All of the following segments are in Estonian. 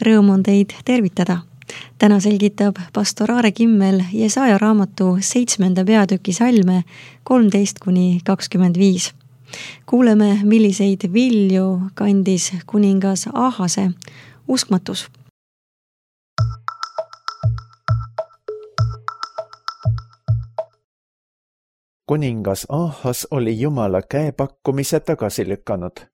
Rõõm on teid tervitada. Täna selgitab pastor Aare Kimmel Jesaja raamatu 7. peatüki salme 13-25. Kuuleme, milliseid vilju kandis kuningas Ahase uskmatus. Kuningas Ahas oli Jumala käepakkumise tagasi lükanud.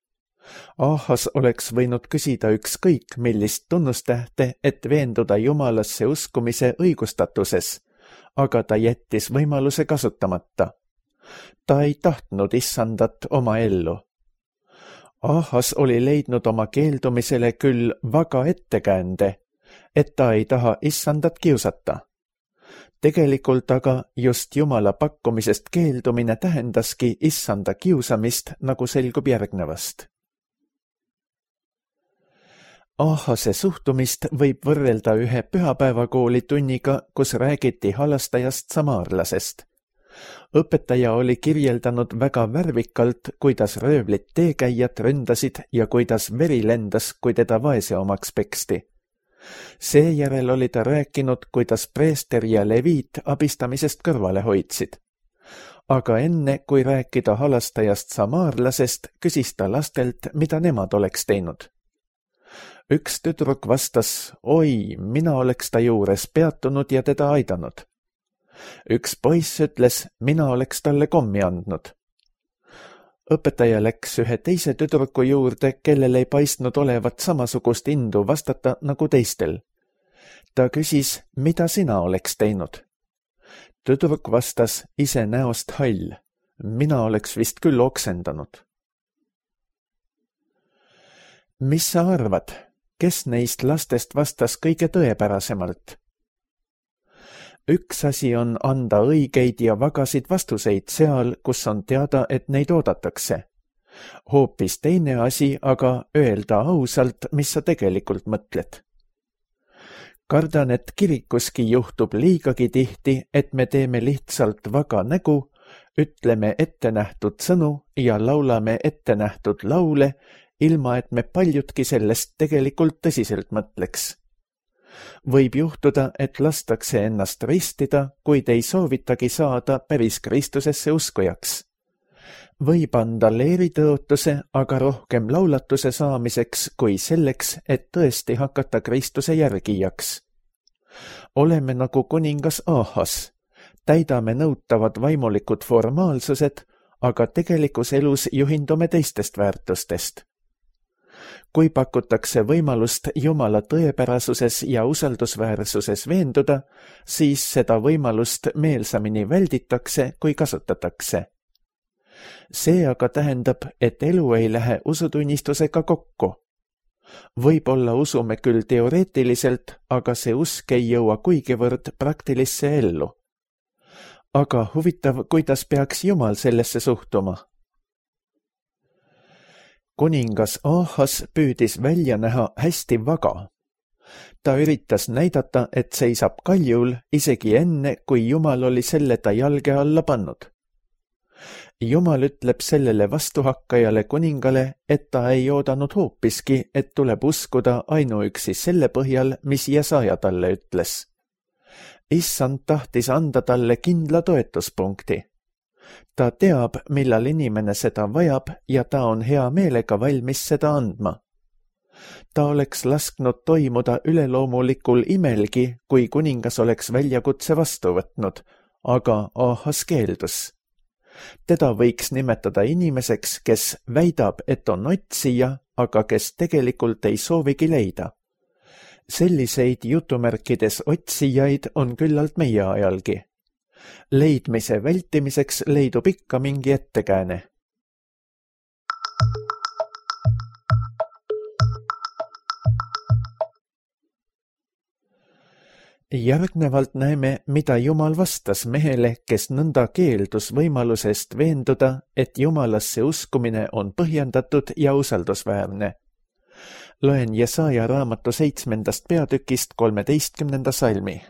Ahas oleks võinud küsida ükskõik millist tunnustähte, et veenduda Jumalasse uskumise õigustatuses, aga ta jättis võimaluse kasutamata. Ta ei tahtnud issandat oma ellu. Ahas oli leidnud oma keeldumisele küll vaga ettekäände, et ta ei taha issandat kiusata. Tegelikult aga just Jumala pakkumisest keeldumine tähendaski issanda kiusamist, nagu selgub järgnevast. Ahase suhtumist võib võrrelda ühe pühapäevakooli tunniga, kus räägiti halastajast samaarlasest. Õpetaja oli kirjeldanud väga värvikalt, kuidas röövlid teekäijad ründasid ja kuidas veri lendas, kui teda vaese omaks peksti. Seejärel oli ta rääkinud, kuidas preester ja leviit abistamisest kõrvale hoidsid. Aga enne, kui rääkida halastajast samaarlasest, küsis ta lastelt, mida nemad oleks teinud. Üks tüdruk vastas, oi, mina oleks ta juures peatunud ja teda aidanud. Üks poiss ütles, mina oleks talle kommi andnud. Õpetaja läks ühe teise tüdruku juurde, kellel ei paistnud olevat samasugust indu vastata nagu teistel. Ta küsis, mida sina oleks teinud. Tüdruk vastas ise näost hall. Mina oleks vist küll oksendanud. Mis sa arvad? Kes neist lastest vastas kõige tõepärasemalt? Üks asi on anda õigeid ja vagasid vastuseid seal, kus on teada, et neid oodatakse. Hoopis teine asi aga öelda ausalt, mis sa tegelikult mõtled. Kardan, et kirikuski juhtub liigagi tihti, et me teeme lihtsalt vaga nägu, ütleme ettenähtud sõnu ja laulame ettenähtud laule, ilma et me paljudki sellest tegelikult tõsiselt mõtleks. Võib juhtuda, et lastakse ennast ristida, kuid ei soovitagi saada päris Kristusesse uskujaks. Võib anda leeritõotuse, aga rohkem laulatuse saamiseks kui selleks, et tõesti hakata Kristuse järgijaks. Oleme nagu kuningas Ahas, täidame nõutavad vaimulikud formaalsused, aga tegelikus elus juhindume teistest väärtustest. Kui pakutakse võimalust Jumala tõepärasuses ja usaldusväärsuses veenduda, siis seda võimalust meelsamini välditakse, kui kasutatakse. See aga tähendab, et elu ei lähe usutunnistusega kokku. Võib-olla usume küll teoreetiliselt, aga see usk ei jõua kuigivõrd praktilisse ellu. Aga huvitav, kuidas peaks Jumal sellesse suhtuma? Kuningas Ahas püüdis välja näha hästi vaga. Ta üritas näidata, et seisab kaljul isegi enne, kui Jumal oli selle ta jalge alla pannud. Jumal ütleb sellele vastuhakkajale kuningale, et ta ei oodanud hoopiski, et tuleb uskuda ainuüksi selle põhjal, mis Jesaja talle ütles. Issand tahtis anda talle kindla toetuspunkti. Ta teab, millal inimene seda vajab ja ta on hea meelega valmis seda andma. Ta oleks lasknud toimuda üleloomulikul imelgi, kui kuningas oleks väljakutse vastu võtnud, aga Ahas keeldus. Teda võiks nimetada inimeseks, kes väidab, et on otsija, aga kes tegelikult ei soovigi leida. Selliseid jutumärkides otsijaid on küllalt meie ajalgi. Leidmise vältimiseks leidub ikka mingi ettekääne. Järgnevalt näeme, mida Jumal vastas mehele, kes nõnda keeldus võimalusest veenduda, et Jumalasse uskumine on põhjendatud ja usaldusväärne. Loen Jesaja raamatu 7. peatükist 13. salmi.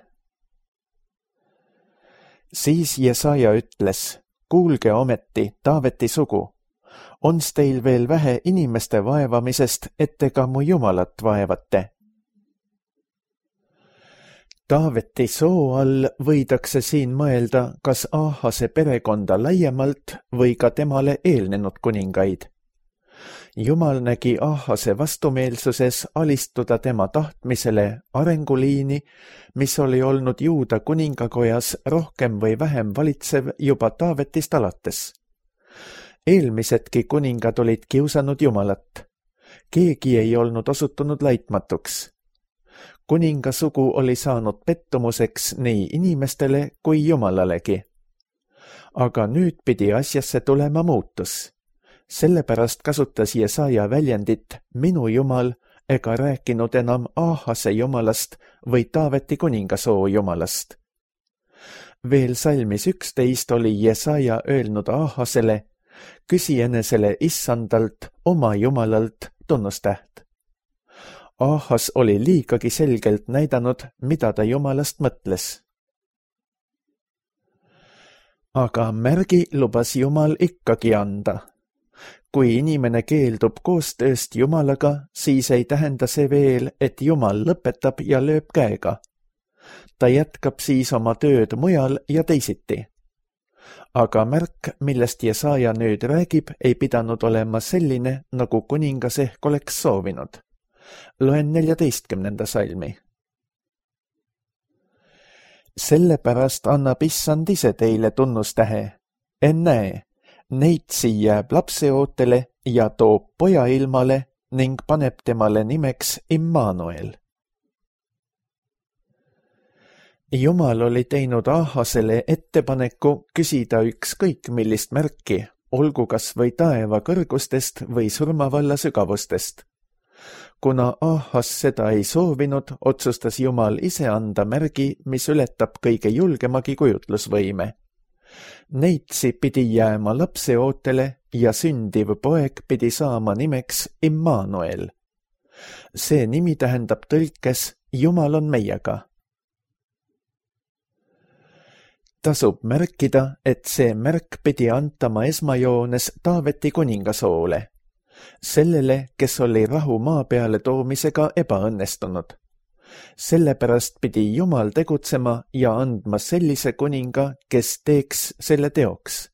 Siis Jesaja ütles, kuulge ometi, Taaveti sugu, ons teil veel vähe inimeste vaevamisest, et te ka mu Jumalat vaevate? Taaveti soo all võidakse siin mõelda kas Aahase perekonda laiemalt või ka temale eelnenud kuningaid. Jumal nägi Aahase vastumeelsuses alistuda tema tahtmisele arenguliini, mis oli olnud Juuda kuningakojas rohkem või vähem valitsev juba Taavetist alates. Eelmisedki kuningad olid kiusanud Jumalat. Keegi ei olnud osutunud laitmatuks. Kuningasugu oli saanud pettumuseks nii inimestele kui Jumalalegi. Aga nüüd pidi asjasse tulema muutus. Sellepärast kasutas Jesaja väljendit minu Jumal ega rääkinud enam Aahase Jumalast või Taaveti kuningasoo Jumalast. Veel salmis 11 oli Jesaja öelnud Aahasele, küsi enesele Issandalt, oma Jumalalt tunnustäht. Aahas oli liigagi selgelt näidanud, mida ta Jumalast mõtles. Aga märgi lubas Jumal ikkagi anda. Kui inimene keeldub koostööst Jumalaga, siis ei tähenda see veel, et Jumal lõpetab ja lööb käega. Ta jätkab siis oma tööd mujal ja teisiti. Aga märk, millest Jesaja nüüd räägib, ei pidanud olema selline, nagu kuningas ehk oleks soovinud. Loen 14. salmi. Sellepärast annab Issand ise teile tunnustähe. Ennäe, neitsi jääb lapseootele ja toob poja ilmale ning paneb temale nimeks Immanuel. Jumal oli teinud Aahasele ettepaneku küsida ükskõik millist märki, olgu kas või taeva kõrgustest või surmavalla sügavustest. Kuna Aahas seda ei soovinud, otsustas Jumal ise anda märgi, mis ületab kõige julgemagi kujutlusvõime. Neitsi pidi jääma lapseootele ja sündiv poeg pidi saama nimeks Immanuel. See nimi tähendab tõlkes Jumal on meiega. Tasub märkida, et see märk pidi antama esmajoones Taaveti kuningasoole. Sellele, kes oli rahu maa peale toomisega ebaõnnestunud. Sellepärast pidi Jumal tegutsema ja andma sellise kuninga, kes teeks selle teoks.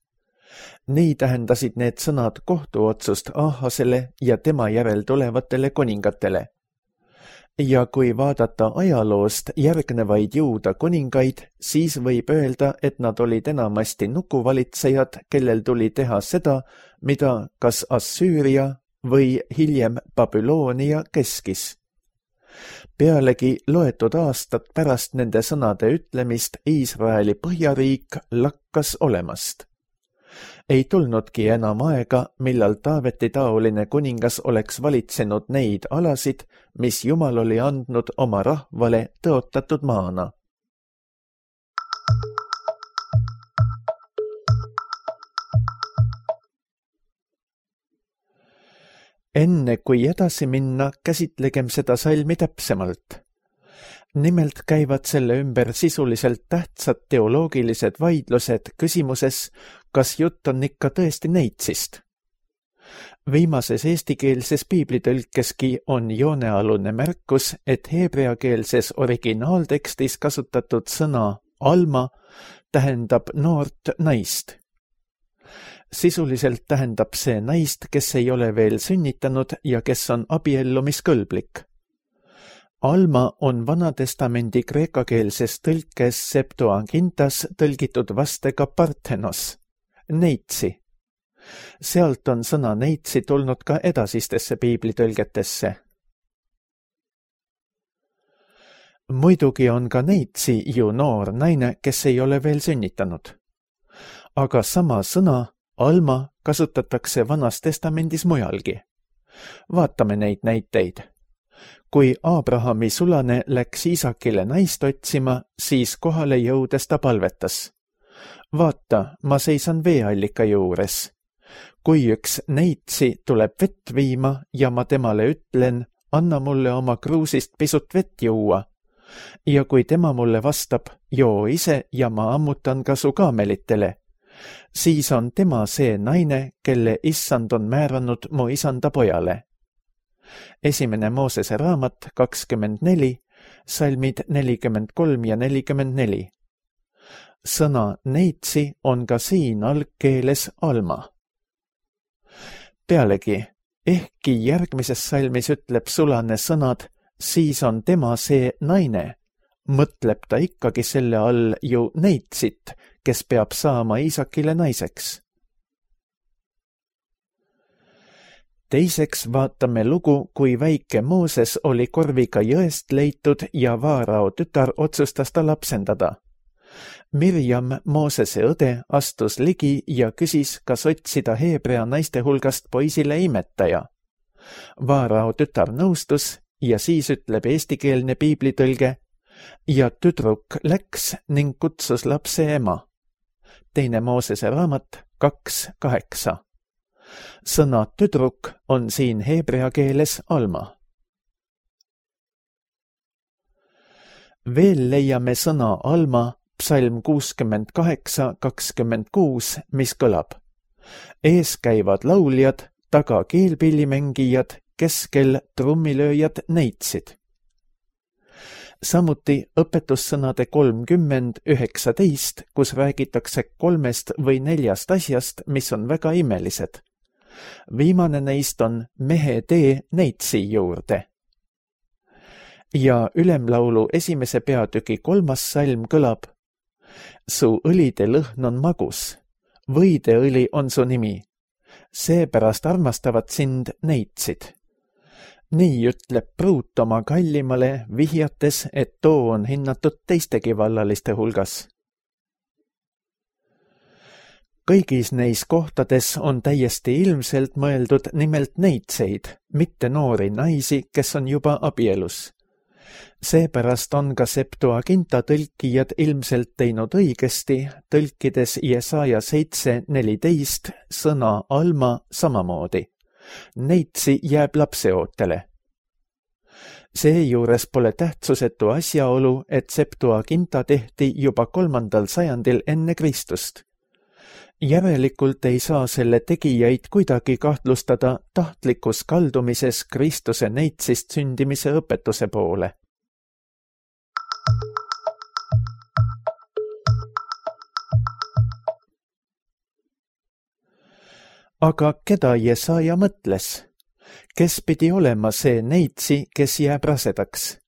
Nii tähendasid need sõnad kohtuotsust Aahasele ja tema järel tulevatele kuningatele. Ja kui vaadata ajaloost järgnevaid Juuda kuningaid, siis võib öelda, et nad olid enamasti nukuvalitsejad, kellel tuli teha seda, mida kas Assüüria või hiljem Babyloonia keskis. Pealegi loetud aastad pärast nende sõnade ütlemist Iisraeli põhjariik lakkas olemast. Ei tulnudki enam aega, millal Taaveti taoline kuningas oleks valitsenud neid alasid, mis Jumal oli andnud oma rahvale tõotatud maana. Enne kui edasi minna, käsitlegem seda salmi täpsemalt. Nimelt käivad selle ümber sisuliselt tähtsad teoloogilised vaidlused küsimuses, kas jutt on ikka tõesti neitsist. Viimases eestikeelses piiblitõlkeski on joonealune märkus, et heebreakeelses originaaltekstis kasutatud sõna alma tähendab noort naist. Sisuliselt tähendab see naist, kes ei ole veel sünnitanud ja kes on abiellumiskõlblik. Alma on Vanatestamendi kreekakeelses tõlkes Septuagintas tõlgitud vastega Parthenos, neitsi. Sealt on sõna neitsi tulnud ka edasistesse piiblitõlgetesse. Muidugi on ka neitsi ju noor naine, kes ei ole veel sünnitanud. Aga sama sõna, alma, kasutatakse Vanas Testamendis mujalgi. Vaatame neid näiteid. Kui Abrahami sulane läks Iisakile naist otsima, siis kohale jõudes ta palvetas. Vaata, ma seisan veeallika juures. Kui üks neitsi tuleb vett viima ja ma temale ütlen, anna mulle oma kruusist pisut vett juua. Ja kui tema mulle vastab, joo ise ja ma ammutan ka su kaamelitele, siis on tema see naine, kelle issand on määranud mu isanda pojale. 1. Moosese raamat 24, salmid 43 ja 44. Sõna neitsi on ka siin algkeeles alma. Pealegi, ehkki järgmises salmis ütleb sulane sõnad, siis on tema see naine, mõtleb ta ikkagi selle all ju neitsit, kes peab saama Iisakile naiseks. Teiseks vaatame lugu, kui väike Mooses oli korviga jõest leitud ja Vaarao tütar otsustas ta lapsendada. Mirjam, Moosese õde, astus ligi ja küsis, kas otsida Heebrea naiste hulgast poisile imetaja. Vaarao tütar nõustus ja siis ütleb eestikeelne piiblitõlge ja tüdruk läks ning kutsus lapse ema. 2. Moosese raamat 2:8. Sõna tüdruk on siin heebrea keeles alma. Veel leiame sõna alma psalm 68:26, mis kõlab. Ees käivad lauljad, taga keelpillimängijad, keskel trummilööjad neitsid. Samuti õpetussõnade 30:19, kus räägitakse 3 või 4 asjast, mis on väga imelised. Viimane neist on mehe tee neitsi juurde. Ja ülemlaulu 1. peatüki 3. salm kõlab. Su õlide lõhn on magus, võideõli on su nimi, seepärast armastavad sind neitsid. Nii ütleb pruut oma kallimale, vihjates, et too on hinnatud teistegi vallaliste hulgas. Kõigis neis kohtades on täiesti ilmselt mõeldud nimelt neitseid, mitte noori naisi, kes on juba abielus. Seepärast on ka Septuaginta tõlkijad ilmselt teinud õigesti, tõlkides Jesaja 7:14 sõna alma samamoodi. Neitsi jääb lapseootele. Seejuures pole tähtsusetu asjaolu, et Septuaginta tehti juba 3. sajandil enne Kristust. Järelikult ei saa selle tegijaid kuidagi kahtlustada tahtlikus kaldumises Kristuse neitsist sündimise õpetuse poole. Aga keda Jesaja mõtles? Kes pidi olema see neitsi, kes jääb rasedaks?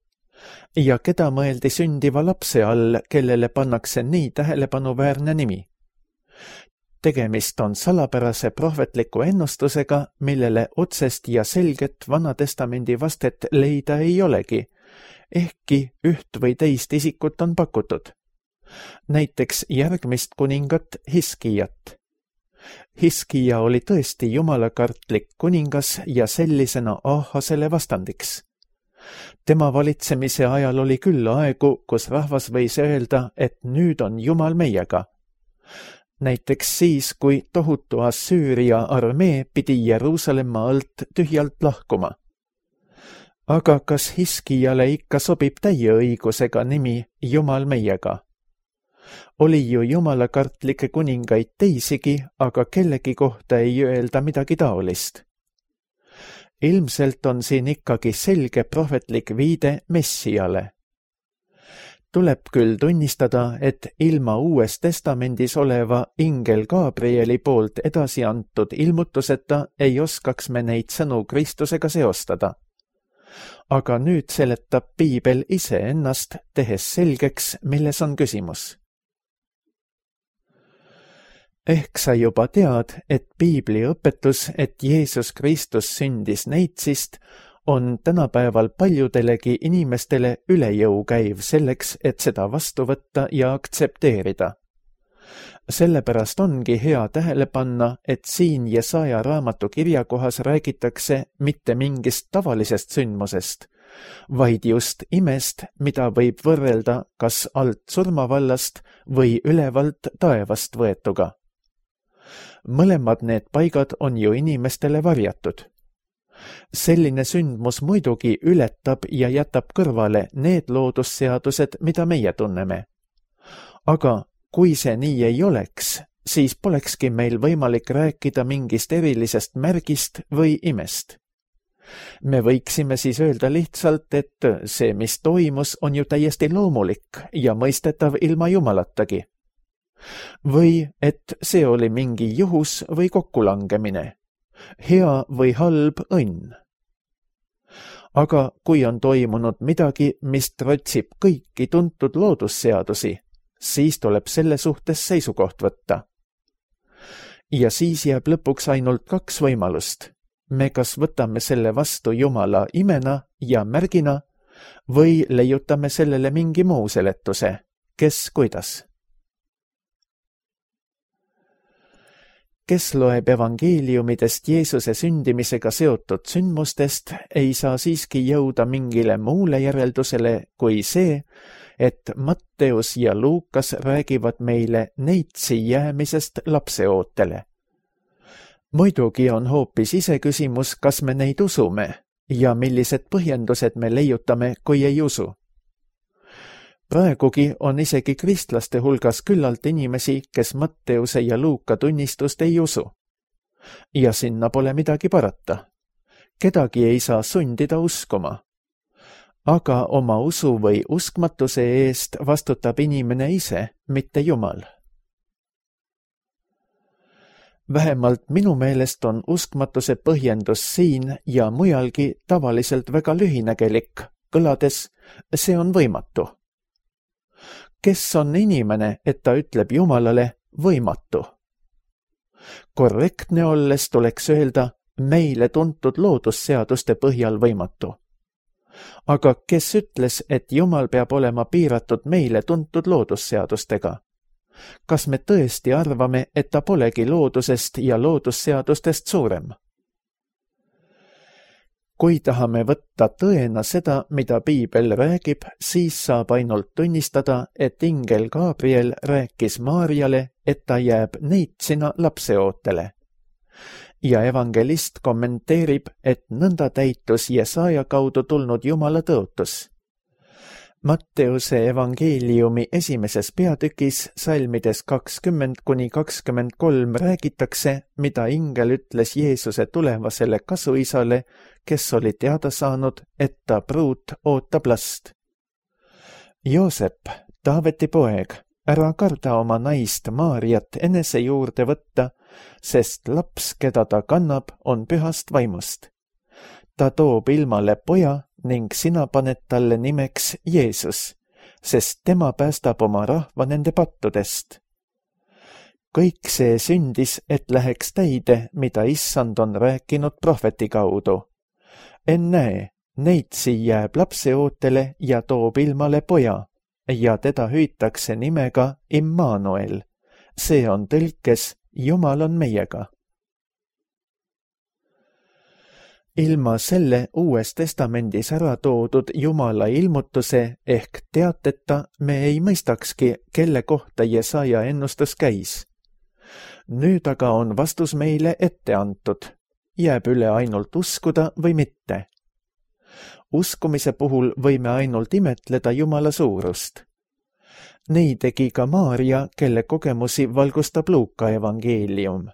Ja keda mõeldi sündiva lapse all, kellele pannakse nii tähelepanuväärne nimi? Tegemist on salapärase prohvetliku ennustusega, millele otsest ja selget Vanatestamendi vastet leida ei olegi, ehkki üht või teist isikut on pakutud. Näiteks järgmist kuningat Hiskijat. Hiskija oli tõesti jumalakartlik kuningas ja sellisena Ahasele vastandiks. Tema valitsemise ajal oli küll aegu, kus rahvas võis öelda, et nüüd on Jumal meiega. Näiteks siis, kui tohutu Assüüria armee pidi Jeruusalemma alt tühjalt lahkuma. Aga kas Hiskijale ikka sobib täie õigusega nimi Jumal meiega? Oli ju jumalakartlikke kuningaid teisigi, aga kellegi kohta ei öelda midagi taolist. Ilmselt on siin ikkagi selge prohvetlik viide Messiale. Tuleb küll tunnistada, et ilma Uues Testamendis oleva ingel Gabrieli poolt edasi antud ilmutuseta ei oskaks me neid sõnu Kristusega seostada. Aga nüüd seletab piibel iseennast, tehes selgeks, milles on küsimus. Ehk sa juba tead, et piibli õpetus, et Jeesus Kristus sündis neitsist, on tänapäeval paljudelegi inimestele üle jõu käiv selleks, et seda vastu võtta ja aktsepteerida. Sellepärast ongi hea tähele panna, et siin Jesaja raamatu kirjakohas räägitakse mitte mingist tavalisest sündmusest, vaid just imest, mida võib võrrelda kas alt surmavallast või ülevalt taevast võetuga. Mõlemad need paigad on ju inimestele varjatud. Selline sündmus muidugi ületab ja jätab kõrvale need loodusseadused, mida meie tunneme. Aga kui see nii ei oleks, siis polekski meil võimalik rääkida mingist erilisest märgist või imest. Me võiksime siis öelda lihtsalt, et see, mis toimus, on ju täiesti loomulik ja mõistetav ilma Jumalatagi. Või et see oli mingi juhus või kokkulangemine, hea või halb õnn. Aga kui on toimunud midagi, mis trotsib kõiki tuntud loodusseadusi, siis tuleb selle suhtes seisukoht võtta. Ja siis jääb lõpuks ainult 2 võimalust. Me kas võtame selle vastu Jumala imena ja märgina või leiutame sellele mingi muu seletuse, kes kuidas. Kes loeb evangeeliumidest Jeesuse sündimisega seotud sündmustest, ei saa siiski jõuda mingile muule järeldusele kui see, et Matteus ja Luukas räägivad meile neitsi jäämisest lapseootele. Muidugi on hoopis iseküsimus, kas me neid usume ja millised põhjendused me leiutame, kui ei usu. Praegugi on isegi kristlaste hulgas küllalt inimesi, kes Matteuse ja Luuka tunnistust ei usu. Ja sinna pole midagi parata. Kedagi ei saa sundida uskuma. Aga oma usu või uskmatuse eest vastutab inimene ise, mitte Jumal. Vähemalt minu meelest on uskmatuse põhjendus siin ja mujalgi tavaliselt väga lühinägelik, kõlades, see on võimatu. Kes on inimene, et ta ütleb Jumalale võimatu? Korrektne olles tuleks öelda meile tuntud loodusseaduste põhjal võimatu. Aga kes ütles, et Jumal peab olema piiratud meile tuntud loodusseadustega? Kas me tõesti arvame, et ta polegi loodusest ja loodusseadustest suurem? Kui tahame võtta tõena seda, mida Piibel räägib, siis saab ainult tunnistada, et ingel Gabriel rääkis Maarjale, et ta jääb neitsina lapseootele. Ja evangelist kommenteerib, et nõnda täitus Jesaja kaudu tulnud Jumala tõotus. Matteuse evangeeliumi 1. peatükis salmides 20–23 räägitakse, mida ingel ütles Jeesuse tulevasele kasuisale, kes oli teada saanud, et ta pruut ootab last. Joosep, Taaveti poeg, ära karda oma naist Maarjat enese juurde võtta, sest laps, keda ta kannab, on pühast vaimust. Ta toob ilmale poja ning sina paned talle nimeks Jeesus, sest tema päästab oma rahva nende pattudest. Kõik see sündis, et läheks täide, mida Issand on rääkinud prohveti kaudu. Ennäe, neitsi jääb lapseootele ja toob ilmale poja ja teda hüütakse nimega Immanuel. See on tõlkes Jumal on meiega. Ilma selle Uues Testamendis ära toodud Jumala ilmutuse ehk teateta me ei mõistakski, kelle kohta Jesaja ennustus käis. Nüüd aga on vastus meile ette antud. Jääb üle ainult uskuda või mitte. Uskumise puhul võime ainult imetleda Jumala suurust. Nii tegi ka Maarja, kelle kogemusi valgustab Luuka evangeelium.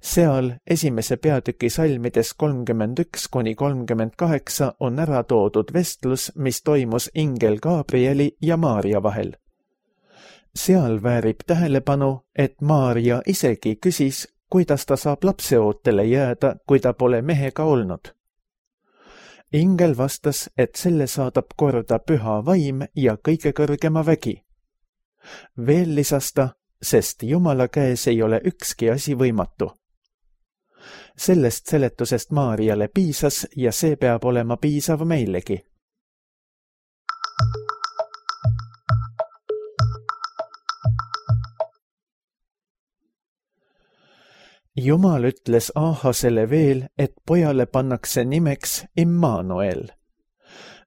Seal 1. peatüki salmides 31–38 on ära toodud vestlus, mis toimus ingel Gabrieli ja Maarja vahel. Seal väärib tähelepanu, et Maarja isegi küsis, kuidas ta saab lapseootele jääda, kui ta pole mehega olnud. Ingel vastas, et selle saadab korda püha vaim ja kõige kõrgema vägi. Veel lisas ta, sest Jumala käes ei ole ükski asi võimatu. Sellest seletusest Maarjale piisas ja see peab olema piisav meilegi. Jumal ütles Aahasele veel, et pojale pannakse nimeks Immanuel.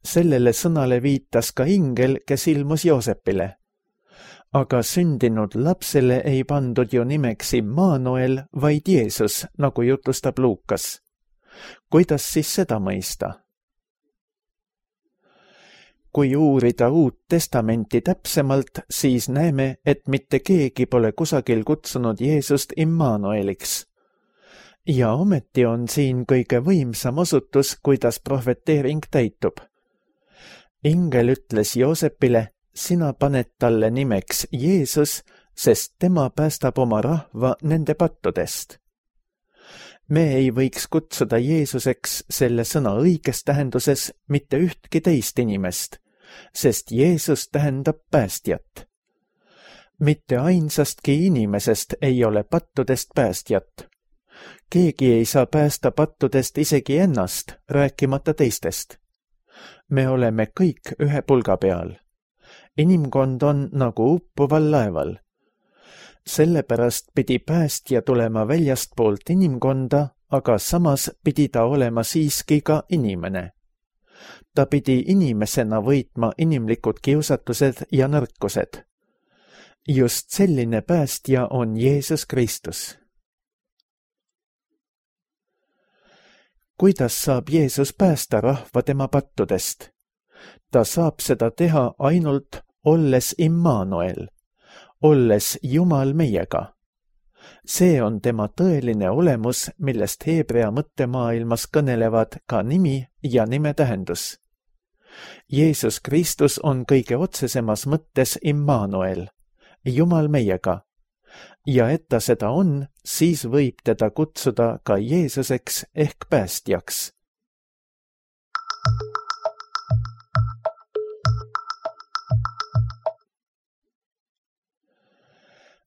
Sellele sõnale viitas ka ingel, kes ilmus Joosepile. Aga sündinud lapsele ei pandud ju nimeks Immanuel, vaid Jeesus, nagu jutustab Luukas. Kuidas siis seda mõista? Kui uurida Uut Testamenti täpsemalt, siis näeme, et mitte keegi pole kusagil kutsunud Jeesust Immanueliks. ja ometi on siin kõige võimsam osutus, kuidas prohveteering täitub. Ingel ütles Joosepile, sina paned talle nimeks Jeesus, sest tema päästab oma rahva nende pattudest. Me ei võiks kutsuda Jeesuseks selle sõna õiges tähenduses mitte ühtki teist inimest, sest Jeesus tähendab päästjat. Mitte ainsastki inimesest ei ole pattudest päästjat. Keegi ei saa päästa pattudest isegi ennast, rääkimata teistest. Me oleme kõik ühe pulga peal. Inimkond on nagu uppuval laeval. Sellepärast pidi päästja tulema väljastpoolt inimkonda, aga samas pidi ta olema siiski ka inimene. Ta pidi inimesena võitma inimlikud kiusatused ja nõrkused. Just selline päästja on Jeesus Kristus. Kuidas saab Jeesus päästa rahva tema pattudest? Ta saab seda teha ainult olles Immanuel, olles Jumal meiega. See on tema tõeline olemus, millest heebrea mõttemaailmas kõnelevad ka nimi ja nime tähendus. Jeesus Kristus on kõige otsesemas mõttes Immanuel, Jumal meiega. Ja et ta seda on, siis võib teda kutsuda ka Jeesuseks ehk päästjaks.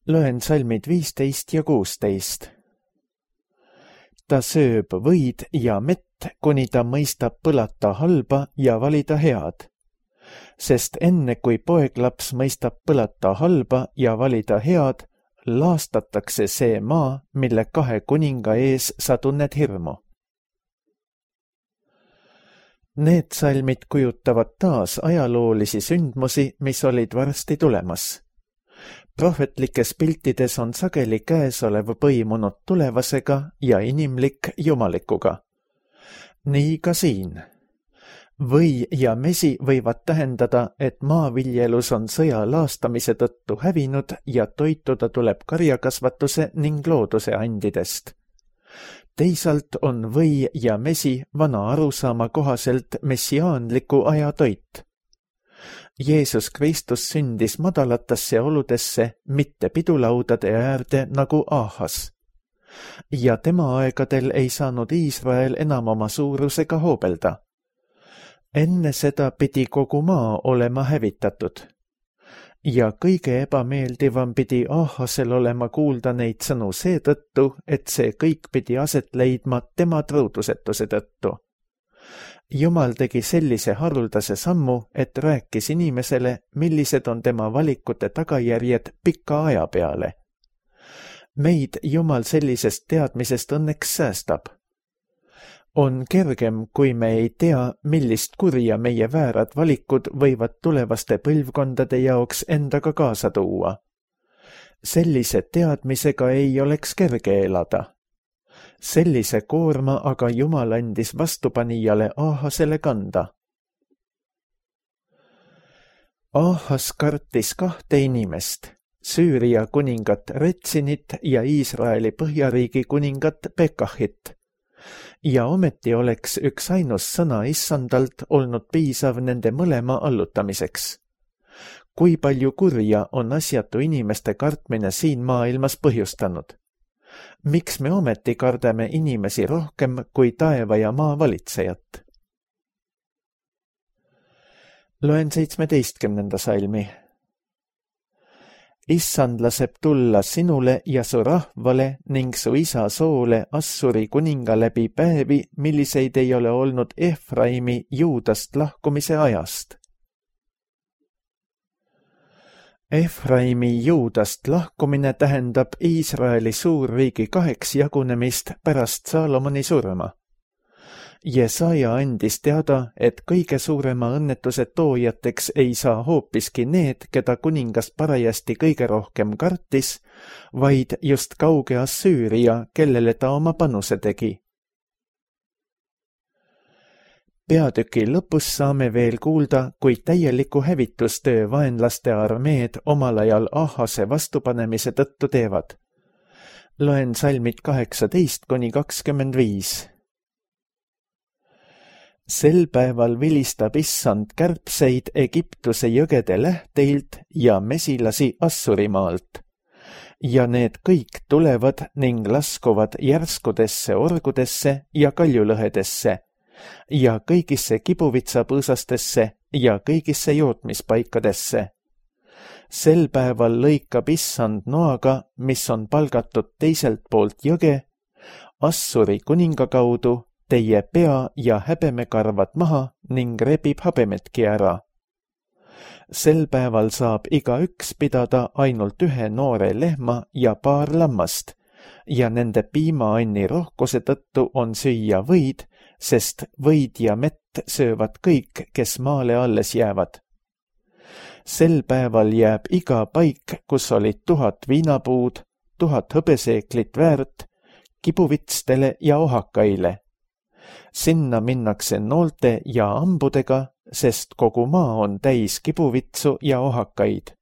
Loen salmid 15 ja 16. Ta sööb võid ja mett, kuni ta mõistab põlata halba ja valida head. Sest enne kui poeglaps mõistab põlata halba ja valida head, laastatakse see maa, mille 2 kuninga ees sa tunned hirmu. Need salmid kujutavad taas ajaloolisi sündmusi, mis olid varsti tulemas. Prohvetlikes piltides on sageli käesolev põimunud tulevasega ja inimlik jumalikuga. Nii ka siin. Või ja mesi võivad tähendada, et maaviljelus on sõja laastamise tõttu hävinud ja toituda tuleb karjakasvatuse ning looduse andidest. Teisalt on või ja mesi vana arusaama kohaselt messiaanliku aja toit. Jeesus Kristus sündis madalatesse oludesse, mitte pidulaudade äärde nagu Ahas. Ja tema aegadel ei saanud Iisrael enam oma suurusega hoobelda. Enne seda pidi kogu maa olema hävitatud. Ja kõige ebameeldivam pidi Ahasel olema kuulda neid sõnu seetõttu, et see kõik pidi aset leidma tema truudusetuse tõttu. Jumal tegi sellise haruldase sammu, et rääkis inimesele, millised on tema valikute tagajärjed pika aja peale. Meid Jumal sellisest teadmisest õnneks säästab. On kergem, kui me ei tea, millist kurja meie väärad valikud võivad tulevaste põlvkondade jaoks endaga kaasa tuua. Sellise teadmisega ei oleks kerge elada. Sellise koorma aga Jumal andis vastupanijale Ahasele kanda. Ahas kartis 2 inimest, Süüria kuningat Retsinit ja Iisraeli põhjariigi kuningat Pekahit. Ja ometi oleks üks ainus sõna issandalt olnud piisav nende mõlema allutamiseks. Kui palju kurja on asjatu inimeste kartmine siin maailmas põhjustanud? Miks me ometi kardame inimesi rohkem kui taeva ja maa valitsejat? Loen 17. salmi. Issand laseb tulla sinule ja su rahvale ning su isa soole Assuri kuninga läbi päevi, milliseid ei ole olnud Efraimi Juudast lahkumise ajast. Efraimi Juudast lahkumine tähendab Iisraeli suurriigi 2 jagunemist pärast Saalomoni surma. Jesaja andis teada, et kõige suurema õnnetuse toojateks ei saa hoopiski need, keda kuningas parajasti kõige rohkem kartis, vaid just kauge Assüüria, kellele ta oma panuse tegi. Peatüki lõpus saame veel kuulda, kui täieliku hävitustöö vaenlaste armeed omal ajal Ahase vastupanemise tõttu teevad. Loen salmid 18-25. Sel päeval vilistab issand kärbseid Egiptuse jõgede lähteilt ja mesilasi Assurimaalt. Ja need kõik tulevad ning laskuvad järskudesse orgudesse ja kaljulõhedesse ja kõigisse kibuvitsapõõsastesse ja kõigisse jootmispaikadesse. Sel päeval lõikab issand noaga, mis on palgatud teiselt poolt jõge, Assuri kuninga kaudu teie pea ja häbemekarvad maha ning rebib habemetki ära. Sel päeval saab igaüks pidada ainult ühe noore lehma ja paar lammast ja nende piimaanni rohkuse tõttu on süüa võid, sest võid ja mett söövad kõik, kes maale alles jäävad. Sel päeval jääb iga paik, kus olid 1000 viinapuud, 1000 hõbeseeklit väärt, kibuvitstele ja ohakaile. Sinna minnakse noolte ja ambudega, sest kogu maa on täis kibuvitsu ja ohakaid.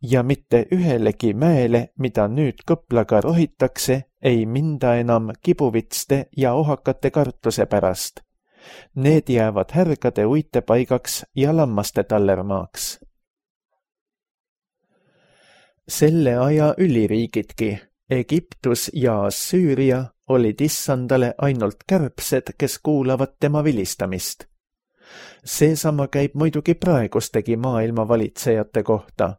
Ja mitte ühelegi mäele, mida nüüd kõplaga rohitakse, ei minda enam kibuvitste ja ohakate kartuse pärast. Need jäävad härgade uitepaigaks ja lammaste tallermaaks. Selle aja üliriigidki, Egiptus ja Assüüria, olid issandale ainult kärbsed, kes kuulavad tema vilistamist. Seesama käib muidugi praegustegi maailma valitsejate kohta.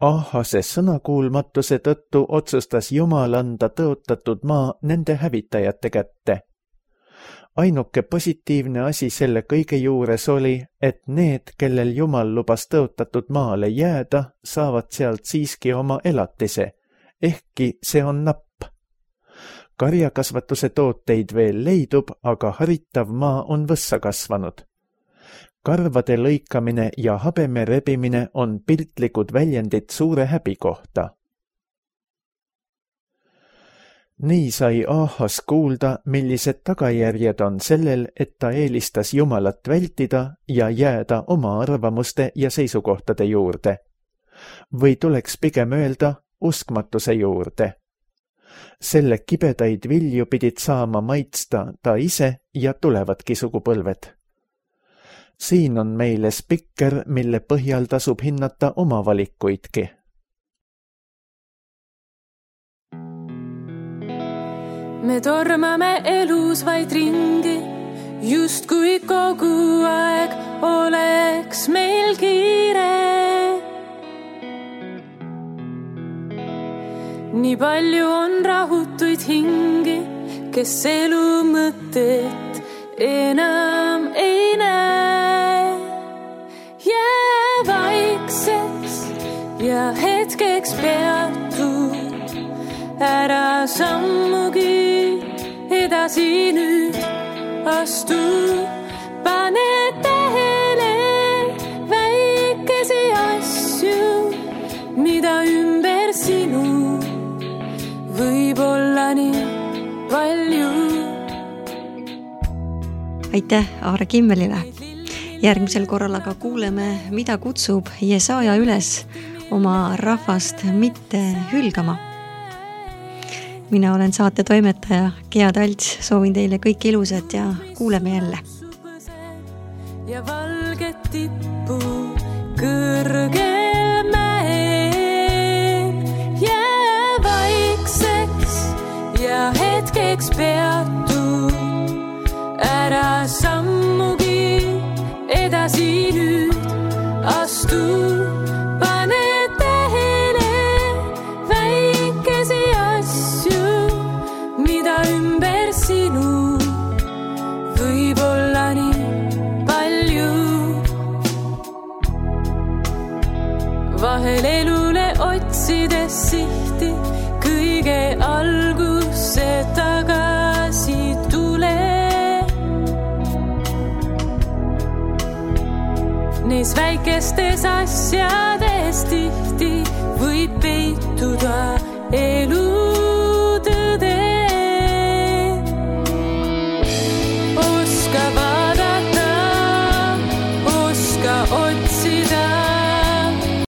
Ahase sõnakuulmatuse tõttu otsustas Jumal anda tõotatud maa nende hävitajate kätte. Ainuke positiivne asi selle kõige juures oli, et need, kellel Jumal lubas tõotatud maale jääda, saavad sealt siiski oma elatise, ehkki see on napp. Karjakasvatuse tooteid veel leidub, aga haritav maa on võssa kasvanud. Karvade lõikamine ja habeme rebimine on piltlikud väljendid suure häbi kohta. Nii sai Ahas kuulda, millised tagajärjed on sellel, et ta eelistas Jumalat vältida ja jääda oma arvamuste ja seisukohtade juurde. Või tuleks pigem öelda uskmatuse juurde. Selle kibedaid vilju pidid saama maitsta ta ise ja tulevadki sugupõlved. Siin on meile spikker, mille põhjal tasub hinnata oma valikuidki. Me tormame elus vaid ringi, justkui kogu aeg oleks meil kiire. Nii palju on rahutuid hingi, kes elu mõtet enam ei näe. Jää vaikseks ja hetkeks peatud, ära sammugi edasi nüüd astu. Pane tähele väikesi asju, mida ümber sinu võib olla nii palju. Aitäh Aare Kimmelile. Järgmisel korral aga kuuleme, mida kutsub Jesaja üles oma rahvast mitte hülgama. Mina olen saate toimetaja Gea Talts, soovin teile kõik ilusat ja kuuleme jälle. Ja valget tippu kõrgel mäel, jää vaikseks ja hetkeks peatu, ära sammugi edasi nüüd astu. Pane tähele väikesi asju, mida ümber sinu võib olla nii palju. Vahel elule otsides sihti, kõige algusse tagasi tule. Neis väikestes asjades tihti võib peituda